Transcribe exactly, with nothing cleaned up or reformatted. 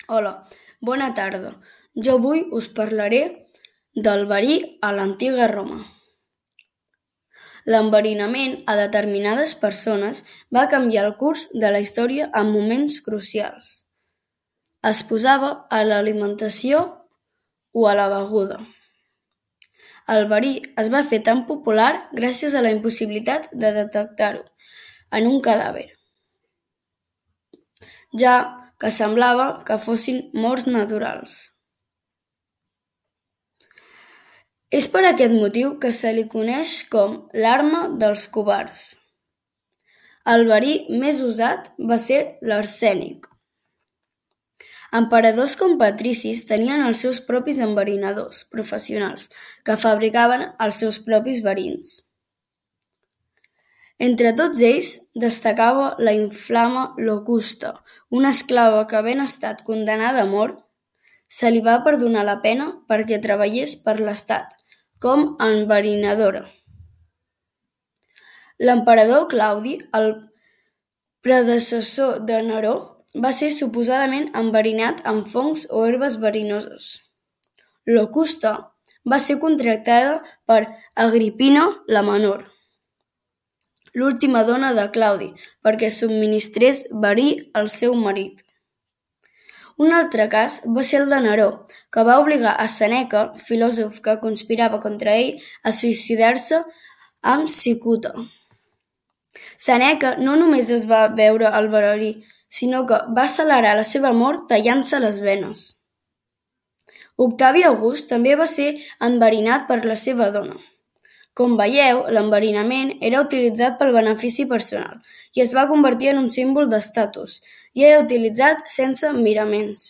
Hola, bona tarda. Jo avui us parlaré del verí a l'antiga Roma. L'enverinament a determinades persones va canviar el curs de la història en moments crucials. Es posava a l'alimentació o a la beguda. El verí es va fer tan popular gràcies a la impossibilitat de detectar-ho en un cadàver, ja que semblava que fossin morts naturals. És per aquest motiu que se li coneix com l'arma dels covards. El verí més usat va ser l'arsènic. Emperadors com patricis tenien els seus propis enverinadors professionals que fabricaven els seus propis verins. Entre tots ells destacava la inflama Locusta, una esclava que, havent estat condemnada a mort, se li va perdonar la pena perquè treballés per l'estat com a enverinadora. L'emperador Claudi, el predecessor de Neró, va ser suposadament enverinat amb fongs o herbes verinoses. Locusta va ser contractada per Agripina la Menor, l'última dona de Claudi, perquè subministrés verí al seu marit. Un altre cas va ser el de Neró, que va obligar a Sèneca, filòsof que conspirava contra ell, a suïcidar-se amb cicuta. Sèneca no només es va beure el verí, sinó que va accelerar la seva mort tallant-se les venes. Octavi August també va ser enverinat per la seva dona. Com veieu, l'enverinament era utilitzat pel benefici personal i es va convertir en un símbol d'estatus i era utilitzat sense miraments.